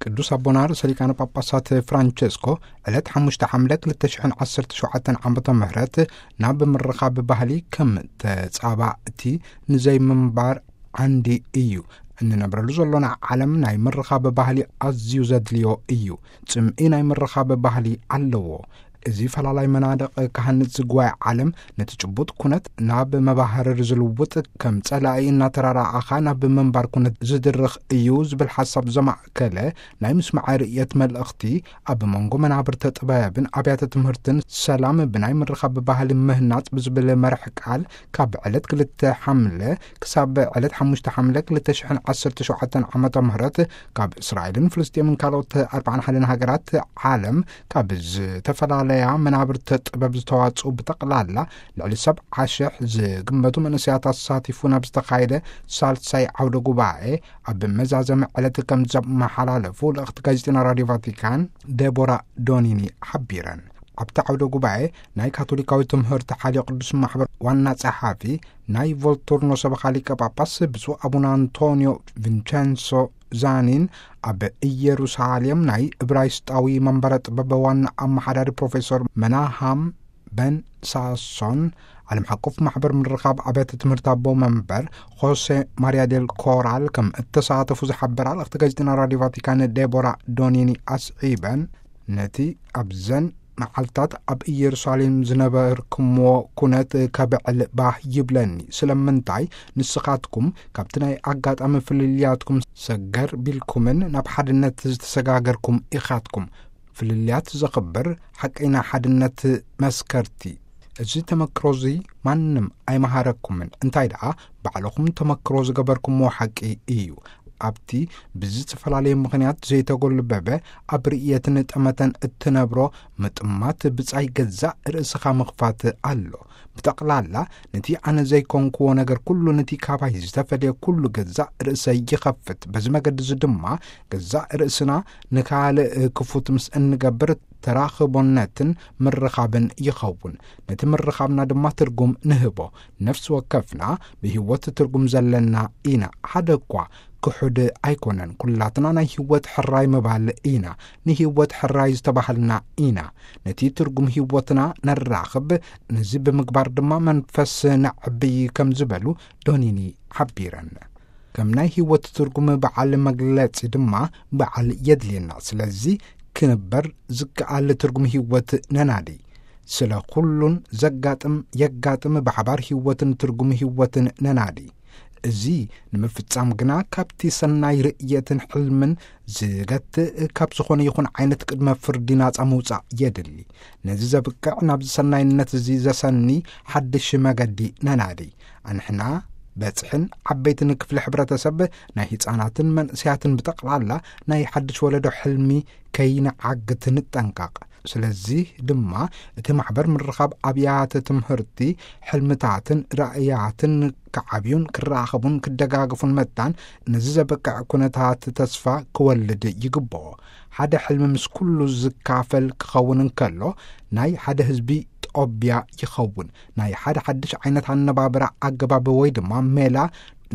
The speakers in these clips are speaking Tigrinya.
ቅዱስ ኣቦና ርእሰ ሊቃነ ጳጳሳት ፍራንቸስኮ ዕለት ሓሙሽተ ሓምለ ክልተ ሽሕን ዓሰርተ ሸውዓተን ዓመተ ምህረት ናብ ምርኻብ ባህሊ ከም ተጻባእቲ ንዘይምንባር ዓንዲ እዩ። እንነብረሉ ዘሎና ዓለም ናይ ምርኻብ ባህሊ ኣዝዩ ዘድልዮ እዩ። ጽምኢ ናይ ምርኻብ ባህሊ ኣለዎ። እዚ ፈላላይ መናድቕ ክሃንጽ ዝግባእ ዓለም ነቲ ጭቡጥ ኩነት ናብ መባህርር ዝልውጥ፣ ከም ጸላኢ እናተራራኣኻ ናብ ምንባር ኩነት ዝድርኽ እዩ ዝብል ሓሳብ ዘማእከለ ናይ ምስማዕ ርእየት መልእኽቲ ኣብ መንጎ መናብርተ ጥበብን ኣብያተ ትምህርትን ሰላም ብናይ ምርኻብ ባህሊ ምህናጽ ብዝብል መርሕ ቃል ካብ ዕለት ክልተ ሓምለ ክሳብ ዕለት ሓሙሽተ ሓምለ ክልተ ሽሕን ዓሰርተ ሸውዓተን ዓመተ ምህረት ካብ እስራኤልን ፍልስጤምን ካልኦት ኣርባዓን ሓደን ሃገራት ዓለም ካብ ዝተፈላለያ መናብርተ ጥበብ ዝተዋጽኡ ብጠቕላላ ልዕሊ ሰብዓ ሽሕ ዝግመቱ መንእሰያት ኣሳቲፉ ናብ ዝተኻየደ ሳልሳይ ዓውደ ጉባኤ ኣብ መዛዘሚ ዕለት ከም ዘመሓላለፉ ልእኽቲ ጋዜጠኛ ራዲዮ ቫቲካን ዴቦራ ዶኒኒ ሓቢረን። ኣብቲ ዓውደ ጉባኤ ናይ ካቶሊካዊ ትምህርቲ ሓልዮ ቅዱስ ማሕበር ዋና ጸሓፊ ናይ ቮልቱርኖ ሰበኻ ሊቀ ጳጳስ ብፁዕ ኣቡነ ኣንቶኒዮ ቪንቸንሶ ዛኒን፣ ኣብ ኢየሩሳሌም ናይ እብራይስጣዊ መንበረ ጥበብ ዋና ኣመሓዳሪ ፕሮፌሰር መናሃም በን ሳሶን፣ ዓለም ሓቆፍ ማሕበር ምርኻብ ኣብያተ ትምህርቲ ኣቦ መንበር ሆሴ ማሪያ ዴል ኮራል ከም እተሳተፉ ዝሓበራ ልእኽቲ ጋዜጠኛ ራዲዮ ቫቲካን ዴቦራ ዶኒኒ ኣስዒበን፣ ነቲ ኣብዘን መዓልታት ኣብ ኢየሩሳሌም ዝነበርኩምዎ ኩነት ከብዕል ባህ ይብለኒ። ስለምንታይ ንስኻትኩም ካብቲ ናይ ኣጋጣሚ ፍልልያትኩም ሰገር ቢልኩምን ናብ ሓድነት ዝተሰጋገርኩም ኢኻትኩም። ፍልልያት ዘኽብር ሓቀይና ሓድነት መስከርቲ። እዚ ተመክሮ እዚ ማንም ኣይመሃረኩምን፣ እንታይ ደኣ ባዕልኹም ተመክሮ ዝገበርኩምዎ ሓቂ እዩ። ኣብቲ ብዝተፈላለየ ምኽንያት ዘይተጎልበበ ኣብ ርእየትን ጠመተን እትነብሮ ምጥማት ብጻይ ገዛእ ርእስኻ ምኽፋት ኣሎ። ብጠቕላላ ነቲ ኣነ ዘይኮንክዎ ነገር ኩሉ ነቲ ካባይ ዝተፈልየ ኩሉ ገዛእ ርእሰይ ይኸፍት። በዚ መገዲ እዚ ድማ ገዛእ ርእስና ንኻልእ ክፉት ምስ እንገብር ተራኽቦነትን ምርኻብን ይኸውን። ነቲ ምርኻብና ድማ ትርጉም ንህቦ። ነፍሲ ወከፍና ብህይወት ትርጉም ዘለና ኢና። ሓደ እኳ ክሑድ ኣይኮነን። ኩላትና ናይ ህይወት ሕራይ ምባል ኢና። ንህይወት ሕራይ ዝተባህልና ኢና። ነቲ ትርጉም ህይወትና ነራኽብ። ነዚ ብምግባር ድማ መንፈስ ነዕብይ ከም ዝበሉ ዶኒኒ ሓቢረን። ከም ናይ ህይወት ትርጉም በዓል መግለጺ ድማ በዓል የድልየና። ስለዚ ክንበር ዝከኣል ትርጉም ህይወት ነናዲ። ስለ ኩሉን ዘጋጥም የጋጥም ብሓባር ህይወትን ትርጉም ህይወትን ነናዲ። እዚ ንምፍጻም ግና ካብቲ ሰናይ ርእየትን ሕልምን ዝገትእ ካብ ዝኾነ ይኹን ዓይነት ቅድመ ፍርዲ ናጻ ምውጻእ የድሊ። ነዚ ዘብቅዕ ናብዚ ሰናይነት እዚ ዘሰኒ ሓድሽ መገዲ ነናዲ። ኣንሕና በጽሕን ዓበይትን ክፍሊ ሕብረተሰብ ናይ ህጻናትን መንእሰያትን ብጠቕላላ ናይ ሓድሽ ወለዶ ሕልሚ ከይንዓግት ንጠንቀቕ። ስለዚ ድማ እቲ ማሕበር ምርኻብ ኣብያተ ትምህርቲ ሕልምታትን ራእያትን ክዓብዩን ክራኸቡን ክደጋግፉን መታን ነዚ ዘበቅዕ ኩነታት ተስፋ ክወልድ ይግብኦ። ሓደ ሕልሚ ምስ ኩሉ ዝካፈል ክኸውን እንከሎ ናይ ሓደ ህዝቢ ጦብያ ይኸውን። ናይ ሓደ ሓድሽ ዓይነት ኣነባብራ ኣገባብ ወይ ድማ ሜላ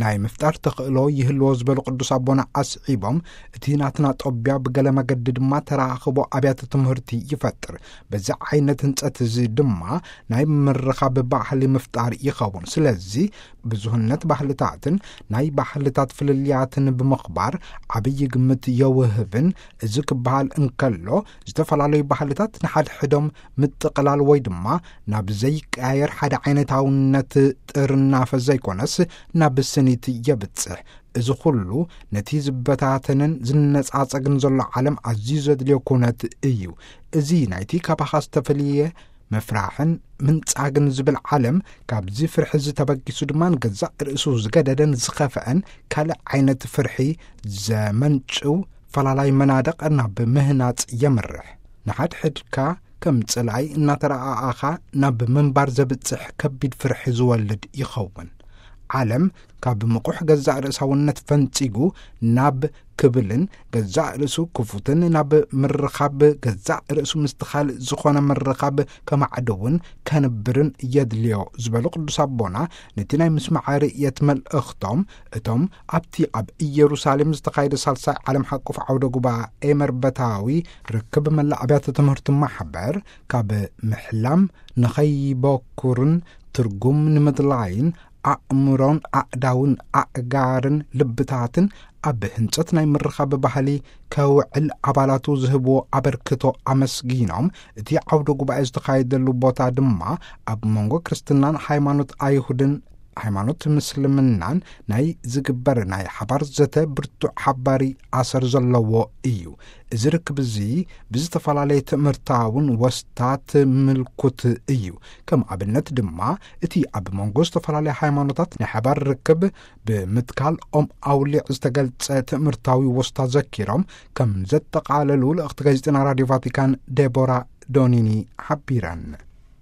ናይ ምፍጣር ተኽእሎ ይህልዎ ዝበሉ ቅዱስ ኣቦና ኣስዒቦም፣ እቲ ናትና ጦብያ ብገለ መገዲ ድማ ተራኽቦ ኣብያተ ትምህርቲ ይፈጥር። በዚ ዓይነት ህንጸት እዚ ድማ ናይ ምርኻብ ባህሊ ምፍጣር ይኸውን። ስለዚ ብዙህነት ባህልታትን ናይ ባህልታት ፍልልያትን ብምኽባር ዓብዪ ግምት የውህብን። እዚ ክበሃል እንከሎ ዝተፈላለዩ ባህልታት ንሓድሕዶም ምጥቕላል ወይ ድማ ናብ ዘይቀያየር ሓደ ዓይነታውነት ጥርናፈ ዘይኮነስ ናብ ስኒት የብጽሕ። እዚ ኩሉ ነቲ ዝበታተንን ዝነጻጸግን ዘሎ ዓለም ኣዝዩ ዘድልዮ ኩነት እዩ። እዚ ናይቲ ካባኻ ዝተፈልየ ምፍራሕን ምንጻግን ዝብል ዓለም ካብዚ ፍርሒ እዚ ተበጊሱ ድማ ንገዛእ ርእሱ ዝገደደን ዝኸፍአን ካልእ ዓይነት ፍርሒ ዘመንጭው ፈላላይ መናድቕ ናብ ምህናጽ የምርሕ። ንሓድሕድካ ከም ጽላኢ እናተረኣኣኻ ናብ ምንባር ዘብጽሕ ከቢድ ፍርሒ ዝወልድ ይኸውን። ዓለም ካብ ምቑሕ ገዛእ ርእሳውነት ፈንጺጉ ናብ ክብልን ገዛእ ርእሱ ክፉትን ናብ ምርኻብ፣ ገዛእ ርእሱ ምስቲ ካልእ ዝኾነ ምርኻብ ከማዕድውን ከንብርን የድልዮ ዝበሉ ቅዱስ ኣቦና፣ ነቲ ናይ ምስማዕ ርእየት መልእኽቶም፣ እቶም ኣብቲ ኣብ ኢየሩሳሌም ዝተኻየደ ሳልሳይ ዓለም ሓቁፍ ዓውደ ጉባኤ መርበታዊ ርክብ መላ ኣብያተ ትምህርቲ ማሕበር ካብ ምሕላም ንኸይበኩርን ትርጉም ንምድላይን ኣእምሮን ኣእዳውን ኣእጋርን ልብታትን ኣብ ህንጸት ናይ ምርኻብ ባህሊ ከውዕል ኣባላቱ ዝህብዎ ኣበርክቶ ኣመስጊኖም፣ እቲ ዓውደ ጉባኤ ዝተኻየደሉ ቦታ ድማ ኣብ መንጎ ክርስትናን ሃይማኖት ኣይሁድን ሃይማኖት ምስልምናን ናይ ዝግበር ናይ ሓባር ዘተ ብርቱዕ ሓባሪ ኣሰር ዘለዎ እዩ። እዚ ርክብ እዚ ብዝተፈላለየ ትምህርታውን ወስታት ምልኩት እዩ። ከም ኣብነት ድማ እቲ ኣብ መንጎ ዝተፈላለያ ሃይማኖታት ናይ ሓባር ርክብ ብምትካል ኦም ኣውሊዕ ዝተገልጸ ትምህርታዊ ወስታ ዘኪሮም ከም ዘጠቓለሉ ልእኽቲ ጋዜጠና ራድዮ ቫቲካን ዴቦራ ዶኒኒ ሓቢረን።